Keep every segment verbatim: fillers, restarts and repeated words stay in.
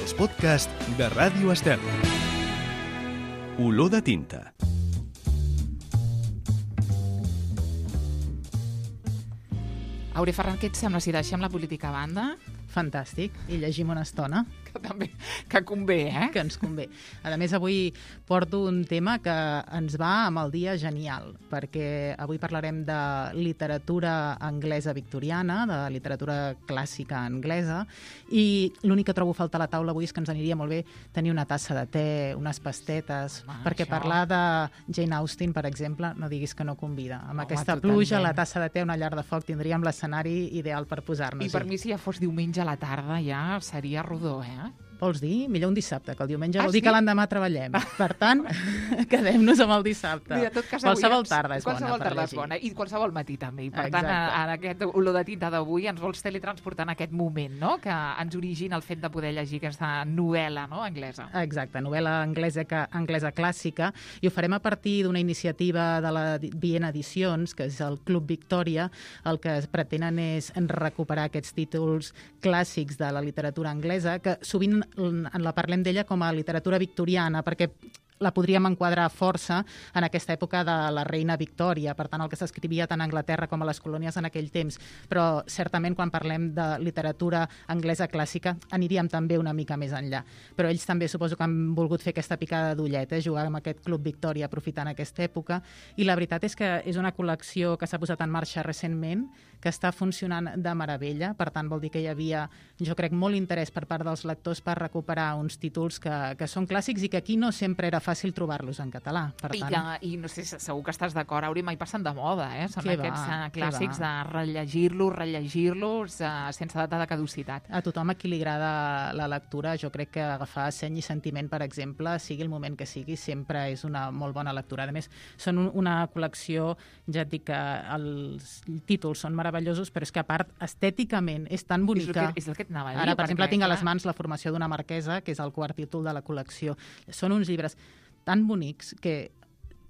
els podcasts de Ràdio Estel. Olor de tinta. Aure Ferran, què et sembla si deixem la política a banda? Fantàstic, i llegim una estona. Que també, que convé, eh? Que ens convé. A més, avui porto un tema que ens va amb el dia genial, perquè avui parlarem de literatura anglesa victoriana, de literatura clàssica anglesa, i l'únic que trobo a faltar a la taula avui és que ens aniria molt bé tenir una tassa de te, unes pastetes, ah, perquè això... parlar de Jane Austen, per exemple, no diguis que no convida. Amb Home, aquesta totalment. Pluja, la tassa de te, una llar de foc, tindríem l'escenari ideal per posar-nos-hi. I per mi, si ja fos diumenge a la tarda, ja seria rodó, eh? Vols dir? Millor un dissabte, que el diumenge ah, vol dir sí? que l'endemà treballem. Per tant, quedem-nos amb el dissabte. Mira, tot cas, qualsevol tarda és qualsevol bona per tarda és llegir. bona, i qualsevol matí també. I per Exacte. tant, en aquest olor de tinta d'avui ens vols teletransportar en aquest moment, no?, que ens origina el fet de poder llegir aquesta novel·la, no?, anglesa. Exacte, novel·la anglesa, anglesa clàssica, i ho farem a partir d'una iniciativa de la Viena Edicions, que és el Club Victòria. El que pretenen és recuperar aquests títols clàssics de la literatura anglesa, que sovint en la parlem d'ella com a literatura victoriana, perquè la podríem enquadrar força en aquesta època de la reina Victòria, per tant, el que s'escrivia tant a Anglaterra com a les colònies en aquell temps. Però, certament, quan parlem de literatura anglesa clàssica, aniríem també una mica més enllà. Però ells també suposo que han volgut fer aquesta picada d'ullet, eh? Jugar amb aquest Club Victòria aprofitant aquesta època. I la veritat és que és una col·lecció que s'ha posat en marxa recentment, que està funcionant de meravella. Per tant, vol dir que hi havia, jo crec, molt interès per part dels lectors per recuperar uns títols que, que són clàssics i que aquí no sempre era fàcil trobar-los en català. Per I, tant... que, I no sé, segur que estàs d'acord, Auri, mai passen de moda, eh? Són que aquests va, uh, clàssics de rellegir-los, rellegir-los, uh, sense data de caducitat. A tothom a qui li agrada la lectura, jo crec que agafar Seny i Sentiment, per exemple, sigui el moment que sigui, sempre és una molt bona lectura. A més, són un, una col·lecció, ja et dic que els títols són meravellosos, però és que a part, estèticament, és tan bonica. És el que, és el que et anava a dir. Ara, per perquè, exemple, tinc a les clar... mans La formació d'una marquesa, que és el quart títol de la col·lecció. Són uns llibres tan bonics que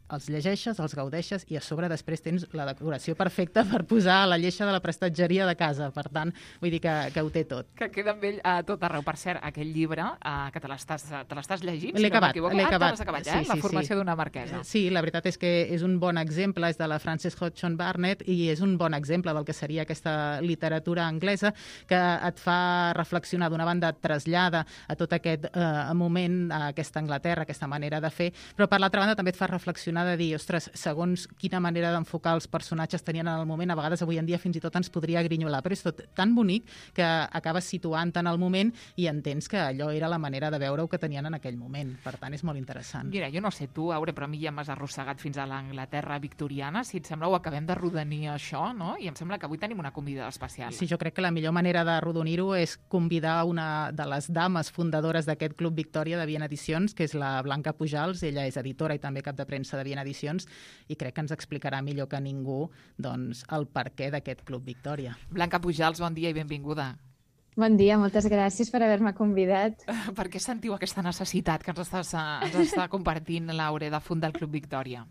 els llegeixes, els gaudeixes i a sobre després tens la decoració perfecta per posar a la lleixa de la prestatgeria de casa. Per tant, vull dir que, que ho té tot. Que queda amb ell a tot arreu. Per cert, aquell llibre, uh, que te l'estàs llegint, l'he si acabat, no m'equivoco. l'he Ah, acabat. te l'has acabat, ja, sí, eh? La sí, formació sí. d'una marquesa. Sí, la veritat és que és un bon exemple, és de la Frances Hodgson Burnett i és un bon exemple del que seria aquesta literatura anglesa que et fa reflexionar. D'una banda, et trasllada a tot aquest eh, moment, a aquesta Anglaterra, aquesta manera de fer, però per l'altra banda també et fa reflexionar de dir, ostres, segons quina manera d'enfocar els personatges tenien en el moment, a vegades avui en dia fins i tot ens podria grinyolar, però és tot tan bonic que acabes situant en el moment i entens que allò era la manera de veure-ho que tenien en aquell moment. Per tant, és molt interessant. Mira, jo no sé tu, Aure, però a mi ja m'has arrossegat fins a l'Anglaterra victoriana. Si et sembla, ho acabem de rodonir això, no? I em sembla que avui tenim una convidada especial. Sí, jo crec que la millor manera de rodonir-ho és convidar una de les dames fundadores d'aquest Club Victòria de Viena Edicions, que és la Blanca Pujals. Ella és editora i també cap de premsa de Viena Edicions i crec que ens explicarà millor que ningú doncs, el perquè d'aquest Club Victòria. Blanca Pujals, bon dia i benvinguda. Bon dia, moltes gràcies per haver-me convidat. Per què sentiu aquesta necessitat que ens, estàs, ens està compartint, Laure, de fundar el Club Victòria?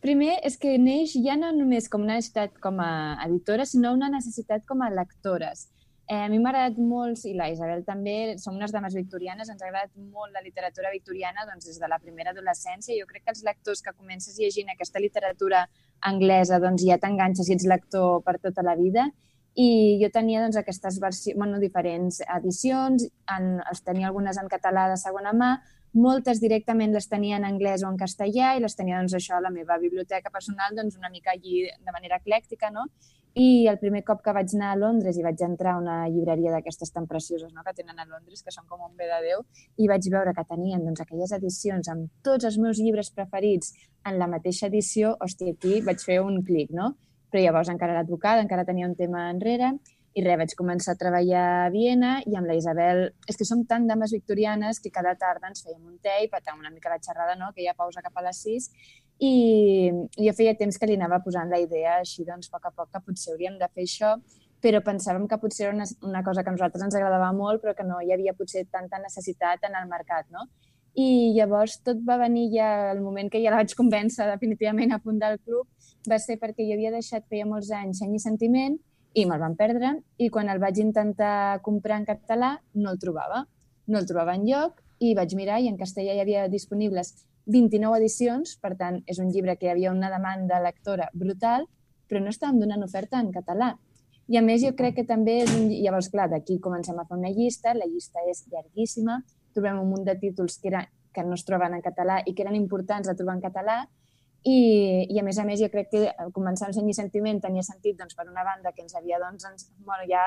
Primer, és que neix ja no només com una necessitat com a editora, sinó una necessitat com a lectores. Eh, a mi m'ha agradat molt, i la Isabel també, som unes dames victorianes, ens ha agradat molt la literatura victoriana doncs, des de la primera adolescència. Jo crec que els lectors que comences llegint aquesta literatura anglesa doncs, ja t'enganxes i ets lector per tota la vida. I jo tenia doncs, aquestes versions, bueno, diferents edicions, en, els tenia algunes en català de segona mà, moltes directament les tenia en anglès o en castellà i les tenia doncs, això a la meva biblioteca personal doncs, una mica allí de manera eclèctica, no? I el primer cop que vaig anar a Londres i vaig entrar a una llibreria d'aquestes tan precioses, no?, que tenen a Londres, que són com un bé de Déu, i vaig veure que tenien doncs, aquelles edicions amb tots els meus llibres preferits en la mateixa edició, hòstia, aquí vaig fer un clic, no? Però llavors encara era advocada, encara tenia un tema enrere, i res, vaig començar a treballar a Viena i amb la Isabel, és que som tan dames victorianes que cada tarda ens fèiem un te i patàvem una mica la xerrada, no?, que hi ha pausa cap a les sis, i jo feia temps que li anava posant la idea així, doncs, a poc a poc, que potser hauríem de fer això, però pensàvem que potser era una, una cosa que a nosaltres ens agradava molt, però que no hi havia potser tanta necessitat en el mercat, no? I llavors tot va venir ja el moment que ja la vaig convèncer definitivament a fundar el club, va ser perquè jo havia deixat feia molts anys Seny i Sentiment i me'l van perdre, i quan el vaig intentar comprar en català no el trobava. no el trobava enlloc i vaig mirar i en castellà hi havia disponibles vint-i-nou edicions, per tant, és un llibre que hi havia una demanda lectora brutal, però no estàvem donant oferta en català. I a més jo crec que també és un... Llavors, clar, d'aquí comencem a fer una llista, la llista és llarguíssima, trobem un munt de títols que, era, que no es troben en català i que eren importants de trobar en català, i, i a més a més jo crec que començar amb Seny i Sentiment tenia sentit doncs, per una banda que ens havia doncs, ens, bueno, ja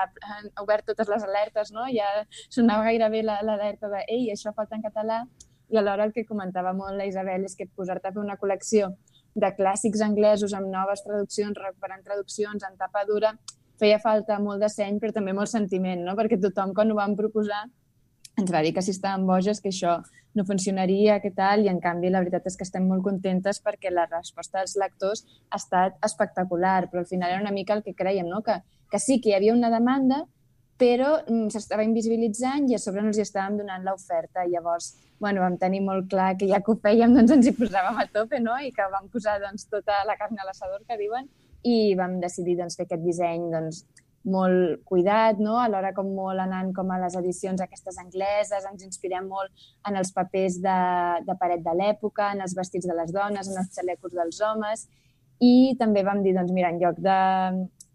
obert totes les alertes, no? Ja sonava gairebé l'alerta de ei, això falta en català, i alhora el que comentava molt la Isabel és que posar-te a fer una col·lecció de clàssics anglesos amb noves traduccions, recuperant traduccions en tapa dura, feia falta molt de seny però també molt sentiment, no? Perquè tothom quan ho vam proposar ens va dir que si estàvem boges, que això no funcionaria, que tal, i en canvi la veritat és que estem molt contentes perquè la resposta dels lectors ha estat espectacular, però al final era una mica el que creiem, no? que, que sí que hi havia una demanda, però s'estava invisibilitzant i a sobre no els hi estàvem donant l'oferta. Llavors, bueno, vam tenir molt clar que ja que ho fèiem, doncs ens hi posàvem a tope, no? I que vam posar doncs, tota la carn a l'assador, que diuen, i vam decidir doncs, fer aquest disseny doncs, molt cuidat, no? Alhora com molt anant com a les edicions aquestes angleses, ens inspirem molt en els papers de, de paret de l'època, en els vestits de les dones, en els xalecos dels homes, i també vam dir, doncs mira, en lloc de,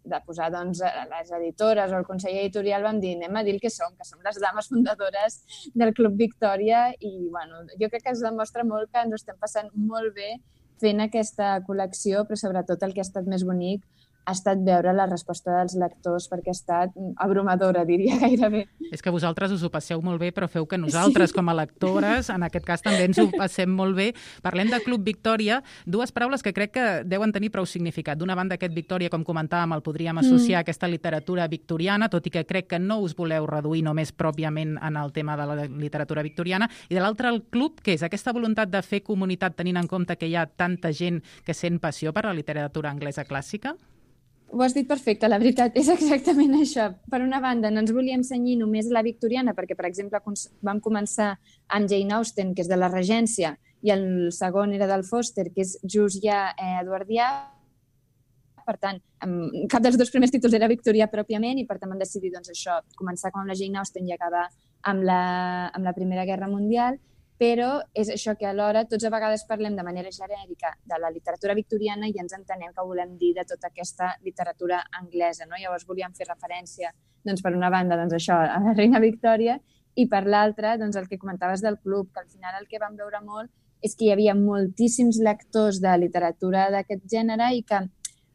de posar doncs, les editores o el consell editorial, vam dir, anem a dir el que som, que som les dames fundadores del Club Victòria, i bueno, jo crec que es demostra molt que ens ho estem passant molt bé fent aquesta col·lecció, però sobretot el que ha estat més bonic ha estat veure la resposta dels lectors, perquè ha estat abrumadora, diria gairebé. És que vosaltres us ho passeu molt bé, però feu que nosaltres, sí, com a lectores, en aquest cas també ens ho passem molt bé. Parlem de Club Victòria, dues paraules que crec que deuen tenir prou significat. D'una banda, aquest Victòria, com comentàvem, el podríem associar a aquesta literatura victoriana, tot i que crec que no us voleu reduir només pròpiament en el tema de la literatura victoriana, i de l'altre, el club, que és aquesta voluntat de fer comunitat tenint en compte que hi ha tanta gent que sent passió per la literatura anglesa clàssica? Ho has dit perfecte, la veritat, és exactament això. Per una banda, no ens volíem cenyir només a la victoriana, perquè, per exemple, vam començar amb Jane Austen, que és de la Regència, i el segon era del Foster, que és just ja eh, eduardià. Per tant, cap dels dos primers títols era victorià pròpiament, i per tant vam decidir doncs, això, començar com amb la Jane Austen i acabar amb la, amb la Primera Guerra Mundial. Però és això que alhora tots a vegades parlem de manera genèrica de la literatura victoriana i ens entenem que volem dir de tota aquesta literatura anglesa, no? Llavors volíem fer referència, doncs, per una banda, doncs, això, a la reina Victòria, i per l'altra, doncs, el que comentaves del club, que al final el que vam veure molt és que hi havia moltíssims lectors de literatura d'aquest gènere i que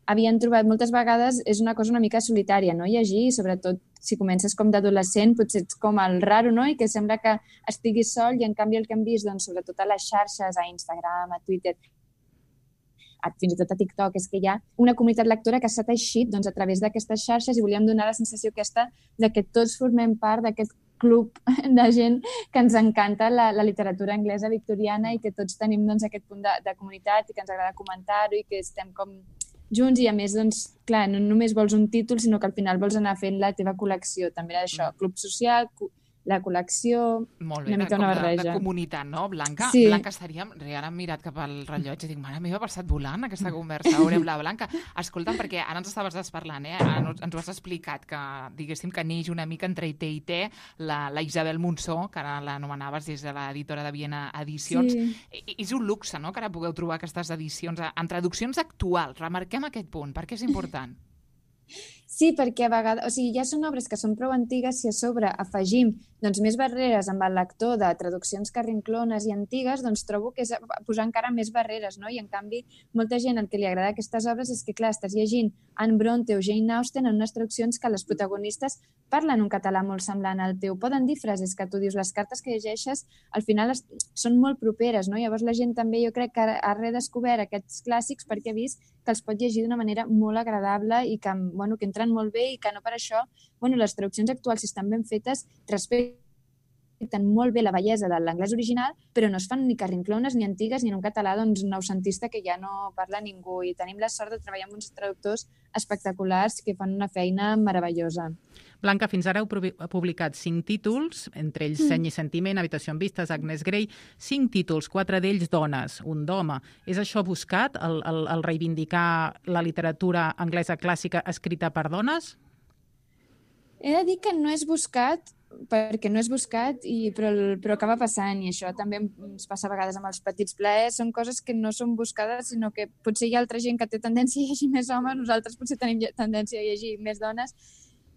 havien trobat, moltes vegades és una cosa una mica solitària, no? Llegir, i sobretot si comences com d'adolescent, potser ets com el raro, no? I que sembla que estiguis sol, i en canvi el que hem vist, doncs, sobretot a les xarxes, a Instagram, a Twitter, a, fins i tot a TikTok, és que hi ha una comunitat lectora que s'ha teixit doncs, a través d'aquestes xarxes, i volíem donar la sensació aquesta de que tots formem part d'aquest club de gent que ens encanta la, la literatura anglesa victoriana i que tots tenim doncs, aquest punt de, de comunitat i que ens agrada comentar-ho i que estem com junts, i a més, doncs, clar, no només vols un títol, sinó que al final vols anar fent la teva col·lecció. També era això, club social, la col·lecció, molt bé, una mica una barreja. De, de comunitat, no, Blanca? Sí. Blanca, estaríem... Ara hem mirat cap al rellotge i dic, mare meva, ha passat volant aquesta conversa. Veurem la Blanca. Escolta'm, perquè ara ens estaves desparlant, eh? Ens ho has explicat, que diguéssim que neix una mica entre té i té la, la Isabel Monsó, que ara l'anomenaves des de l'editora de Viena Edicions. Sí. I, és un luxe, no?, que ara pugueu trobar aquestes edicions en traduccions actuals. Remarquem aquest punt, perquè és important. Sí, perquè a vegades, o sigui, ja són obres que són prou antigues, si a sobre afegim doncs, més barreres amb el lector de traduccions carrinclones i antigues, doncs trobo que és posar encara més barreres, no? I en canvi, molta gent el que li agrada aquestes obres és que, clar, estàs llegint Anne Bronte o Jane Austen en unes traduccions que les protagonistes parlen un català molt semblant al teu, poden dir frases que tu dius, les cartes que llegeixes al final es, són molt properes, no? Llavors la gent també jo crec que ha redescobert aquests clàssics perquè ha vist que els pot llegir d'una manera molt agradable i que, bueno, que entren molt bé i que no per això, bueno, les traduccions actuals, si estan ben fetes, respecten molt bé la bellesa de l'anglès original, però no es fan ni carrinclones ni antigues ni en un català doncs, noucentista que ja no parla ningú. I tenim la sort de treballar amb uns traductors espectaculars que fan una feina meravellosa. Blanca, fins ara heu publicat cinc títols, entre ells mm. Seny i Sentiment, Habitació en vistes, Agnes Grey, cinc títols, quatre d'ells dones, un d'home. És això buscat, el, el, el reivindicar la literatura anglesa clàssica escrita per dones? He de dir que no és buscat, perquè no és buscat, i, però, però acaba passant, i això també ens passa a vegades amb els petits plaers, són coses que no són buscades, sinó que potser hi ha altra gent que té tendència a llegir més homes, nosaltres potser tenim tendència a llegir més dones.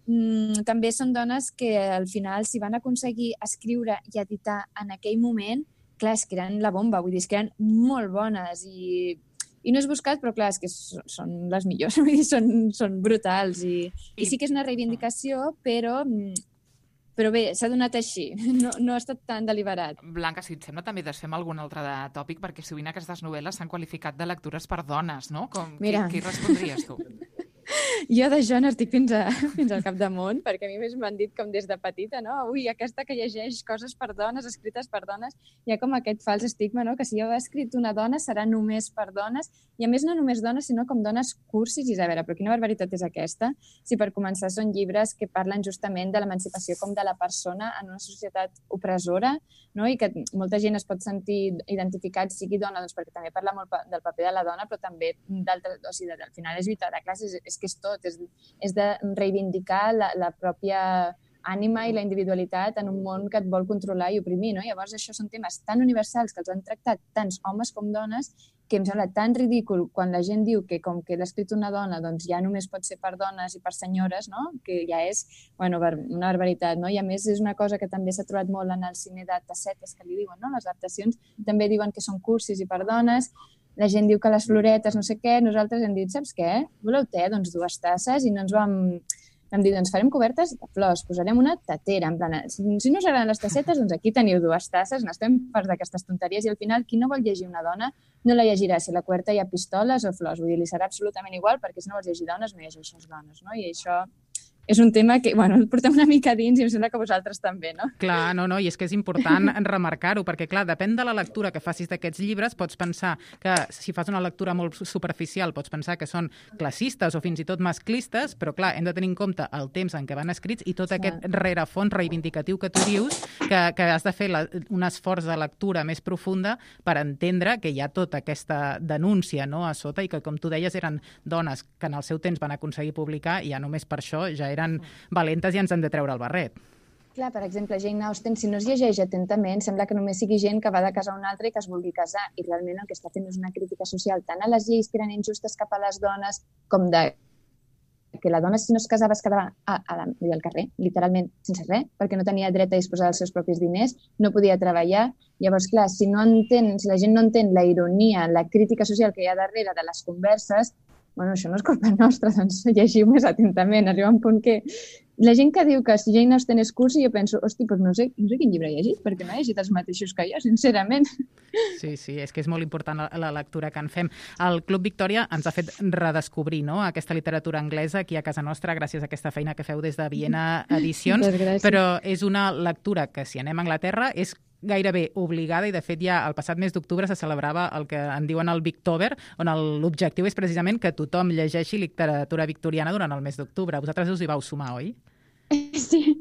Mm, també són dones que al final, si van aconseguir escriure i editar en aquell moment, clar, és que eren la bomba, vull dir, és que eren molt bones, i I no és buscat, però clar, és que són les millors, vull dir, són, són brutals. I, I sí que és una reivindicació, però, però bé, s'ha donat així, no, no ha estat tan deliberat. Blanca, si et sembla, també desfem algun altre de tòpic, perquè sovint aquestes novel·les s'han qualificat de lectures per dones, no? Com, Mira. Qui, qui respondries tu? Jo d'això n'estic fins, a, fins al capdamunt, perquè a mi més m'han dit com des de petita, no? Ui, aquesta que llegeix coses per dones, escrites per dones, hi ha com aquest fals estigma, no? Que si jo he escrit una dona serà només per dones, i a més no només dones, sinó com dones cursis, i a veure, però quina barbaritat és aquesta? Si per començar són llibres que parlen justament de l'emancipació com de la persona en una societat opressora, no? I que molta gent es pot sentir identificat, sigui dona, doncs perquè també parla molt del paper de la dona, però també d'altres, o sigui, al final és lluitar de classes, és que és tot, és, és de reivindicar la, la pròpia ànima i la individualitat en un món que et vol controlar i oprimir, no? Llavors això són temes tan universals que els han tractat tants homes com dones que em sembla tan ridícul quan la gent diu que com que l'ha escrit una dona doncs ja només pot ser per dones i per senyores, no? Que ja és, bueno, una barbaritat, no? I a més és una cosa que també s'ha trobat molt en el cine de tassetes que li diuen, no? Les adaptacions també diuen que són cursis i per dones. La gent diu que les floretes, no sé què, nosaltres hem dit, saps què? Voleu te? Doncs dues tasses, i no ens vam... Vam dir, doncs farem cobertes de flors, posarem una tatera, en plan, si, si no us agraden les tassetes, doncs aquí teniu dues tasses, n'estem farts d'aquestes tonteries, i al final, qui no vol llegir una dona, no la llegirà si a la coberta hi ha pistoles o flors, vull dir, li serà absolutament igual, perquè si no vols llegir dones, no llegeixes dones, no? I això és un tema que, bueno, el portem una mica dins i em sembla que vosaltres també, no? Clar, no, no, i és que és important remarcar-ho, perquè, clar, depèn de la lectura que facis d'aquests llibres, pots pensar que, si fas una lectura molt superficial, pots pensar que són classistes o fins i tot masclistes, però, clar, hem de tenir en compte el temps en què van escrits i tot aquest rerefons reivindicatiu que tu dius, que, que has de fer la, un esforç de lectura més profunda per entendre que hi ha tota aquesta denúncia, no?, a sota, i que, com tu deies, eren dones que en el seu temps van aconseguir publicar i ja només per això ja eren valentes i ens han de treure el barret. Clar, per exemple, Jane Austen, si no es llegeix atentament, sembla que només sigui gent que va de casa a una altra i que es vulgui casar. I realment el que està fent és una crítica social tant a les lleis que eren injustes cap a les dones com de que la dona, si no es casava, es quedava a, a la, al carrer, literalment, sense res, perquè no tenia dret a disposar dels seus propis diners, no podia treballar. Llavors, clar, si, no entén, si la gent no entén la ironia, la crítica social que hi ha darrere de les converses, bueno, això no és culpa nostra, doncs llegiu més atentament. Arriba un punt que la gent que diu que si Jane Austen és cursi, jo penso, hosti, doncs no sé, no sé quin llibre he llegit, perquè no he llegit els mateixos que jo, sincerament. Sí, sí, és que és molt important la, la lectura que en fem. El Club Victòria ens ha fet redescobrir, no?, aquesta literatura anglesa aquí a casa nostra, gràcies a aquesta feina que feu des de Viena Edicions, però és una lectura que, si anem a Anglaterra, és gairebé obligada, i de fet ja el passat mes d'octubre se celebrava el que en diuen el Victober, on l'objectiu és precisament que tothom llegeixi literatura victoriana durant el mes d'octubre. Vosaltres us hi vau sumar, oi? Sí,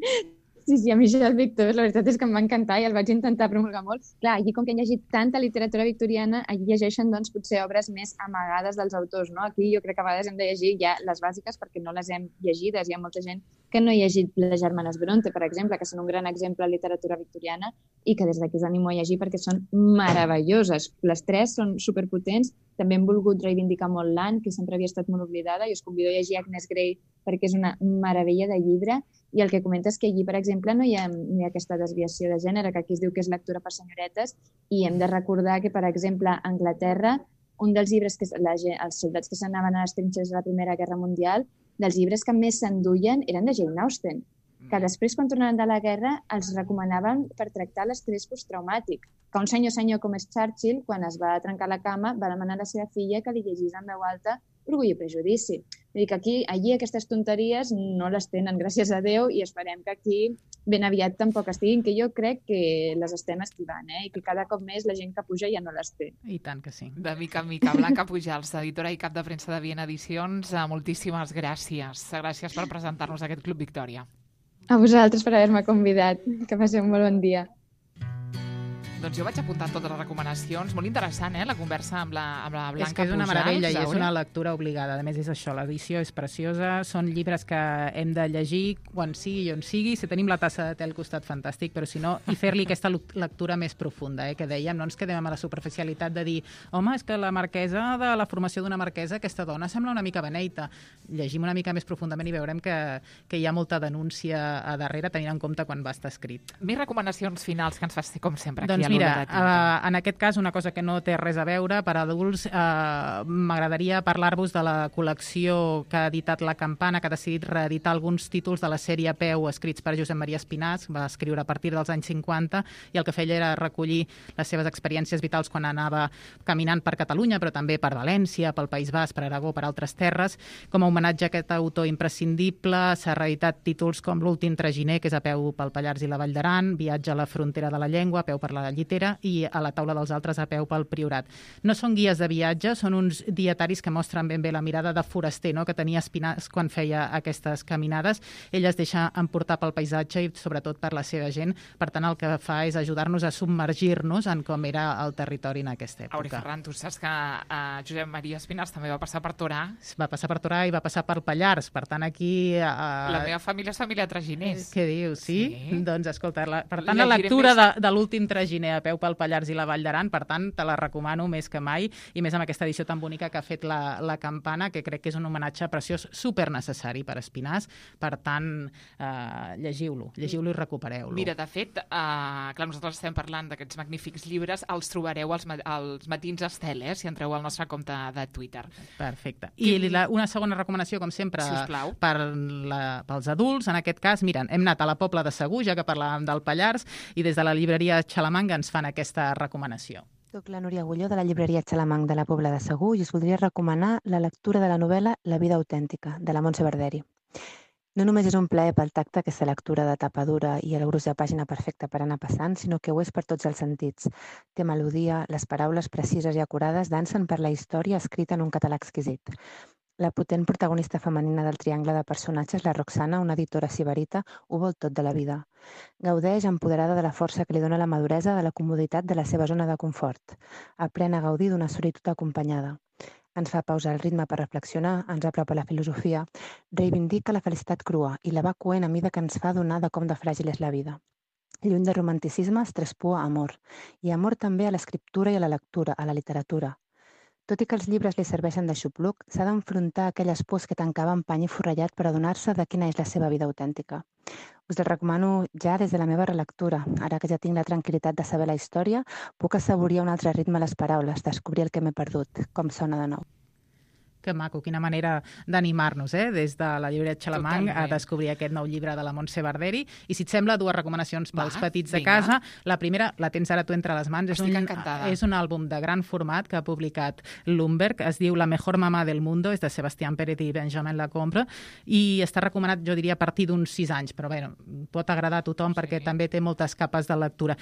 sí, sí, a mi ja el Victober, la veritat és que em va encantar i el vaig intentar promulgar molt. Clar, allí com que han llegit tanta literatura victoriana, allí llegeixen doncs potser obres més amagades dels autors, no? Aquí jo crec que a vegades hem de llegir ja les bàsiques perquè no les hem llegides. Hi ha molta gent que no ha llegit les germanes Bronte, per exemple, que són un gran exemple de literatura victoriana i que des d'aquí us animo a llegir perquè són meravelloses. Les tres són superpotents. També hem volgut reivindicar molt l'Anne, que sempre havia estat molt oblidada, i us convido a llegir Agnes Grey perquè és una meravella de llibre. I el que comentes és que allí, per exemple, no hi ha, no hi ha aquesta desviació de gènere, que aquí es diu que és lectura per senyoretes, i hem de recordar que, per exemple, a Anglaterra, un dels llibres que la, els soldats que s'anaven a les trinxes de la Primera Guerra Mundial, dels llibres que més s'enduien eren de Jane Austen, que després, quan tornaven de la guerra, els recomanaven per tractar l'estrès posttraumàtic. Que un senyor senyor com és Churchill, quan es va trencar la cama, va demanar a la seva filla que li llegís en veu alta Orgull i prejudici. Vull dir que aquí, allí aquestes tonteries no les tenen, gràcies a Déu, i esperem que aquí ben aviat tampoc estiguin, que jo crec que les estem esquivant, eh? I que cada cop més la gent que puja ja no les té. I tant que sí. De mica en mica. Blanca Pujals, editora i cap de premsa de Viena Edicions, moltíssimes gràcies. Gràcies per presentar-nos aquest Club Victòria. A vosaltres per haver-me convidat. Que passeu un molt bon dia. Doncs jo vaig apuntar totes les recomanacions. Molt interessant, eh, la conversa amb la, amb la Blanca Pujals. És que és una meravella i és Zaure. una lectura obligada. A més, és això, l'edició és preciosa, són llibres que hem de llegir quan sigui i on sigui. Si tenim la tassa de té al costat, fantàstic, però si no, i fer-li aquesta lectura més profunda, eh, que dèiem, no ens quedem amb la superficialitat de dir home, és que la marquesa, de la formació d'una marquesa, aquesta dona sembla una mica beneita. Llegim una mica més profundament i veurem que, que hi ha molta denúncia a darrere, tenint en compte quan va estar escrit. Més recomanacions finals que ens fas com sempre aquí doncs a mira, l'Hora de Tinta. Uh, en aquest cas una cosa que no té res a veure per adults, uh, m'agradaria parlar-vos de la col·lecció que ha editat La Campana, que ha decidit reeditar alguns títols de la sèrie Peu escrits per Josep Maria Espinàs, va escriure a partir dels anys cinquanta i el que feia era recollir les seves experiències vitals quan anava caminant per Catalunya, però també per València, pel País Basc, per Aragó, per altres terres. Com a homenatge a aquest autor imprescindible s'ha reeditat títols com L'últim traginer, que és a peu pel Pallars i la Vall d'Aran, Viatge a la frontera de la llengua, a peu per la llitera, i A la taula dels altres, a peu pel Priorat. No són guies de viatge, són uns dietaris que mostren ben bé la mirada de foraster, no?, que tenia Espinàs quan feia aquestes caminades. Ell es deixa emportar pel paisatge i sobretot per la seva gent. Per tant, el que fa és ajudar-nos a submergir-nos en com era el territori en aquesta època. Auri Ferran, tu saps que uh, Josep Maria Espinàs també va passar per Torà. Va passar per Torà i va passar per Pallars. Per tant, aquí... Uh, la meva família és família de traginers. Què dius, sí? Sí. Doncs escolta, la, per tant, la lectura més... de, de L'últim traginer, a peu pel Pallars i la Vall d'Aran, per tant, te la recomano més que mai, i més amb aquesta edició tan bonica que ha fet la, la Campana, que crec que és un homenatge preciós, super necessari per Espinàs. Per tant, eh, llegiu-lo, llegiu-lo i recupereu-lo. Mira, de fet, eh, clar, nosaltres estem parlant d'aquests magnífics llibres, els trobareu als, als matins Estel, eh, si entreu al nostre compte de Twitter. Perfecte. I la, una segona recomanació, com sempre, sisplau, per la, pels adults, en aquest cas, miren, hem anat a la Pobla de Segur, ja que parlàvem del Pallars, i des de la llibreria Xalamanga ens fan aquesta recomanació. Soc la Núria Agulló de la llibreria Xalamang de la Pobla de Segur i us voldria recomanar la lectura de la novel·la La vida autèntica, de la Montse Verderi. No només és un plaer pel tacte aquesta lectura de tapa dura i el gruix de pàgina perfecta per anar passant, sinó que ho és per tots els sentits. Té melodia, les paraules precises i acurades dansen per la història escrita en un català exquisit. La potent protagonista femenina del triangle de personatges, la Roxana, una editora sibarita, ho vol tot de la vida. Gaudeix empoderada de la força que li dona la maduresa de la comoditat de la seva zona de confort. Aprèn a gaudir d'una solitud acompanyada. Ens fa pausar el ritme per reflexionar, ens apropa la filosofia, reivindica la felicitat crua i la va coent a mida que ens fa donar de com de fràgil és la vida. Lluny de romanticisme es traspua amor, i amor també a l'escriptura i a la lectura, a la literatura. Tot i que els llibres li serveixen de xupluc, s'ha d'enfrontar aquelles pors que tancava en pany i forrellat per adonar-se de quina és la seva vida autèntica. Us el recomano ja des de la meva relectura. Ara que ja tinc la tranquil·litat de saber la història, puc assaborir un altre ritme a les paraules, descobrir el que m'he perdut, com sona de nou. Que maco, quina manera d'animar-nos, eh? Des de la llibreria Xalamang Totalment. a descobrir aquest nou llibre de la Montse Verderi. I si et sembla, dues recomanacions pels Va, petits de vinga. casa. La primera, la tens ara tu entre les mans. Estic és un, encantada. és un àlbum de gran format que ha publicat Lumberg. Es diu La mejor mamá del mundo, és de Sebastián Pérez i Benjamin Lacombe, i està recomanat, jo diria, a partir d'uns sis anys, però bé, pot agradar a tothom perquè Sí. també té moltes capes de lectura.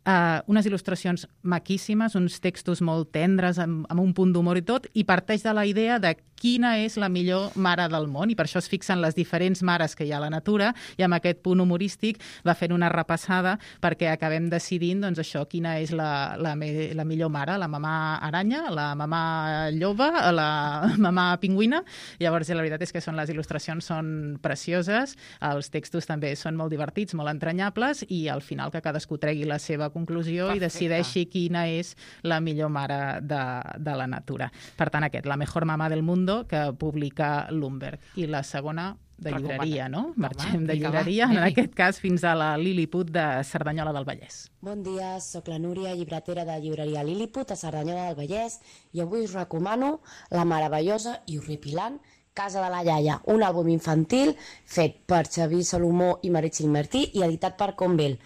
Uh, unes il·lustracions maquíssimes, uns textos molt tendres, amb, amb un punt d'humor i tot, i parteix de la idea de quina és la millor mare del món, i per això es fixen les diferents mares que hi ha a la natura, i amb aquest punt humorístic va fent una repassada perquè acabem decidint, doncs això, quina és la, la, me, la millor mare, la mamà aranya, la mamà lloba, la mamà pingüina. Llavors, la veritat és que són les il·lustracions són precioses, els textos també són molt divertits, molt entranyables, i al final que cadascú tregui la seva conclusió Perfecte. I decideixi quina és la millor mare de, de la natura. Per tant, aquest, La mejor mamá del mundo, que publica Lumberg. I la segona, de llibreria, no? Marxem de llibreria, en aquest cas fins a la Lilliput de Cerdanyola del Vallès. Bon dia, sóc la Núria, llibretera de llibreria Lilliput a Cerdanyola del Vallès, i avui us recomano la meravellosa i horripilant Casa de la iaia, un àlbum infantil fet per Xavier Salomó i Meritxell Martí i editat per Convel.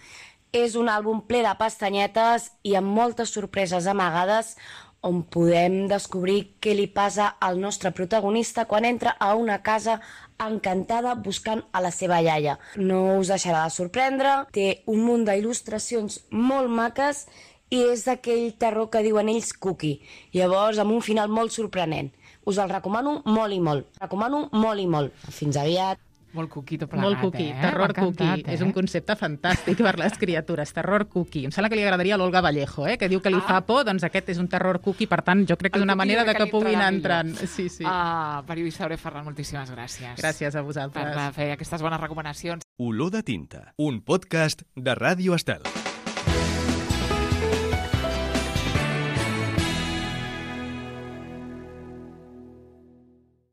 És un àlbum ple de pastanyetes i amb moltes sorpreses amagades on podem descobrir què li passa al nostre protagonista quan entra a una casa encantada buscant a la seva iaia. No us deixarà de sorprendre, té un munt d'il·lustracions molt maques i és d'aquell terror que diuen ells cookie. Llavors, amb un final molt sorprenent. Us el recomano molt i molt. Recomano molt i molt. Fins aviat. Molt cookie tot plegat, Molt cookie, eh? terror cookie. Eh? És un concepte fantàstic per les criatures, terror cookie. Em sembla que li agradaria a l'Olga Vallejo, eh? que diu que li Ah. fa por, doncs aquest és un terror cookie, per tant, jo crec que és El una cookie manera jo de crec que que li puguin entrarà entrar. millor. Sí, sí. Ah, periodista Aure Ferran, moltíssimes gràcies. Gràcies a vosaltres. Per fer aquestes bones recomanacions. Olor de tinta, un podcast de Ràdio Estel.